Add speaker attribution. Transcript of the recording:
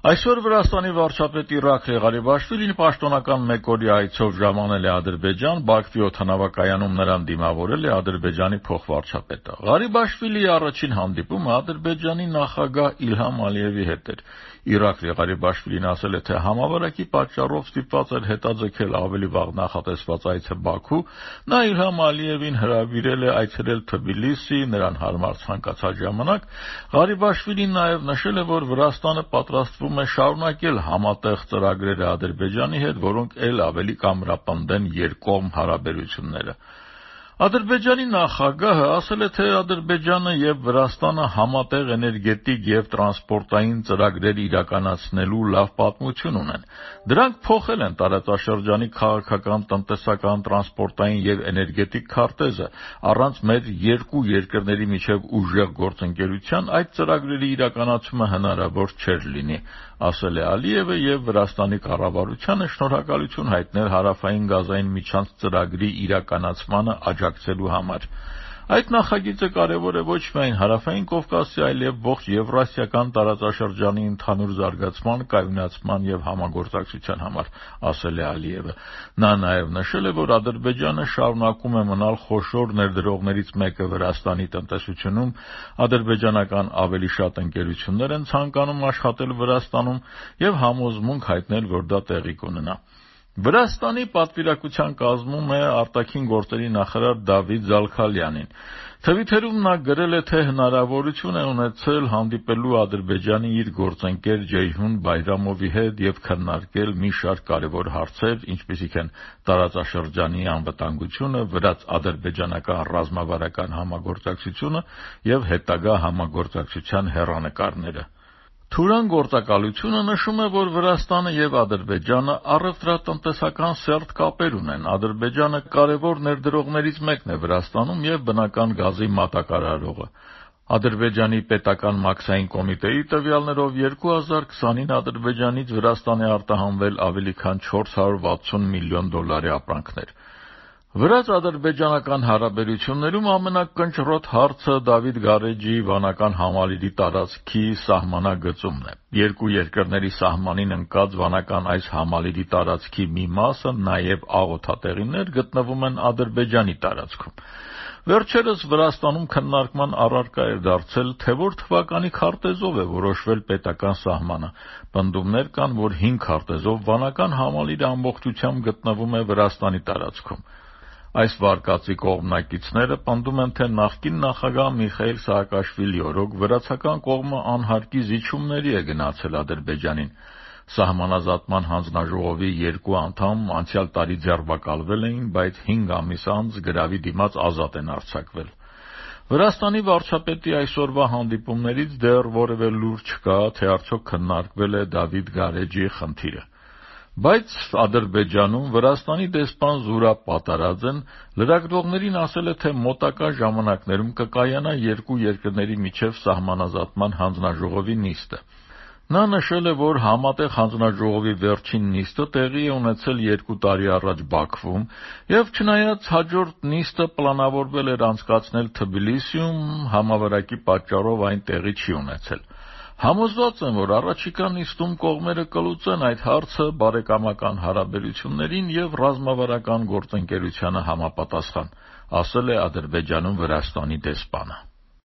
Speaker 1: Այսօր Վրաստանի վարչապետ Իռաքլի Ղարիբաշվիլին պաշտոնական մեկօրյա այցով ժամանել է Ադրբեջան, Բաքվի օդանավակայանում նրան դիմավորել է Ադրբեջանի փոխվարչապետը։ Ղարիբաշվիլիի առաջին հանդիպումը Ադրբեջանի նախագահ Իլհամ Ալիևի հետ էր։ Իռաքլի Ղարիբաշվիլին ասել է, թե համավարակի պատճառով ստիպված էր հետաձգել ավելի վաղ նախատեսված այցը Բաքու։ Նա Իլհամ Ալիևին հրավիրել է այցելել Թբիլիսի նրան հարմար ցանկացած ժամանակ։ Ղարիբաշվիլին նաև նշել է, որ Վրաստանը պատրաստվում է շարունակել համատեղ ծրագրերը Ադրբեջանի հետ, որոնք ել ավելի կամրապնդեն երկկողմ հարաբերությունները։ Ադրբեջանի նախագահը ասել է, թե Ադրբեջանը եւ Վրաստանը համատեղ էներգետիկ եւ տրանսպորտային ծրագրեր իրականացնելու լավ պատմություն ունեն։ Դրանք փոխել են տարածաշրջանի քաղաքական, տնտեսական, տրանսպորտային եւ էներգետիկ քարտեզը։ Առանց մեր երկու երկրների միջև ուժեղ գործընկերության այդ ծրագրերի իրականացումը հնարավոր չէր լինի, ասել է Ալիևը եւ Վրաստանի կառավարությանը շնորհակալություն հայտնել հարավային գազային միջանց ծրագրի իրականացմանը աջակցելու համար։ Այդ նախագիծը կարևոր է ոչ միայն Հարավային Կովկասի, այլև ողջ Եվրասիական տարածաշրջանի ընդհանուր զարգացման, կայունացման եւ համագործակցության համար, ասել է Ալիևը։ Նա նաեւ նշել է, որ Ադրբեջանը շարունակում է մնալ խոշոր ներդրողներից մեկը Վրաստանի տնտեսությունում, ադրբեջանական ավելի շատ ընկերություններ են ցանկանում աշխատել Վրաստանում եւ համոզմունք հայտնել, որ դա տեղի կունենա։ Վրաստանի պատվիրակության կազմում է արտաքին գործերի նախարար Դավիթ Զալքալյանին։ Թվիթերում նա գրել է, թե հնարավորություն է ունեցել հանդիպելու Ադրբեջանի իր գործընկեր Ջեյհուն Բայրամովի հետ եւ քննարկել մի շարք կարևոր հարցեր, ինչպիսիք են տարածաշրջանի անվտանգությունը, վրաց-ադրբեջանական ռազմավարական համագործակցությունը եւ հետագա համագործակցության հեռանկարները։ Թուրան գործակալությունը նշում է, որ Վրաստանը եւ Ադրբեջանը առևտրատնտեսական սերտ կապեր ունեն։ Ադրբեջանը կարևոր ներդրողներից մեկն է Վրաստանում եւ բնական գազի մատակարարողը։ Ադրբեջանի պետական մաքսային կոմիտեի տվյալներով 2020-ին Ադրբեջանից Վրաստան է արտահանվել ավելի քան $460 միլիոն ապրանքներ։ Վրաց-ադրբեջանական հարաբերություններում ամենակնճռոտ հարցը Դավիթ Գարեջի վանական համալիրի տարածքի սահմանագծումն է։ Երկու երկրների սահմանին ընկած վանական այս համալիրի տարածքի մի մասը, նաև աղոթատեղիներ, գտնվում են Ադրբեջանի տարածքում։ Վերջերս Վրաստանում քննարկման առարկա էր դարձել, թե որ թվականի քարտեզով է որոշվել պետական սահմանը։ Պնդումներ կան, որ 5 քարտեզով վանական համալիրը ամբողջությամբ գտնվում է Վրաստանի տարածքում։ Այս վարկածի կողմնակիցները պնդում են, թե նախկին նախագահ Միխայիլ Սաակաշվիլի օրոք վրացական կողմը անհարկի զիջումների է գնացել Ադրբեջանին։ Սահմանազատման հանձնաժողովի 2 անդամ անցյալ տարի ձերբակալվել էին, բայց 5 ամիս անց գրավի դիմաց ազատ են արձակվել։ Վրաստանի վարչապետի այսօրվա հանդիպումներից դեռ որևէ լուր չկա, թե արդյոք քննարկվել է Դավիթ Գարեջի խնդիրը։ Բայց Ադրբեջանում Վրաստանի դեսպան Զուրաբ Պատարաձեն լրագրողներին ասել է, թե մոտակա ժամանակներում կկայանա երկու երկրների միջև սահմանազատման հանձնաժողովի նիստը։ Նա նշել է, որ համատեղ հանձնաժողովի վերջին նիստը տեղի է ունեցել 2 տարի առաջ Բաքվում, եւ չնայած հաջորդ նիստը պլանավորվել էր անցկացնել Թբիլիսիում, համավարակի պատճառով այն տեղի չի ունեցել։ Համոզված եմ, որ առաջիկա նիստում կողմերը կլուծեն այդ հարցը բարեկամական հարաբերություններին եւ ռազմավարական գործընկերությանը համապատասխան, ասել է Ադրբեջանում Վրաստանի դեսպանը։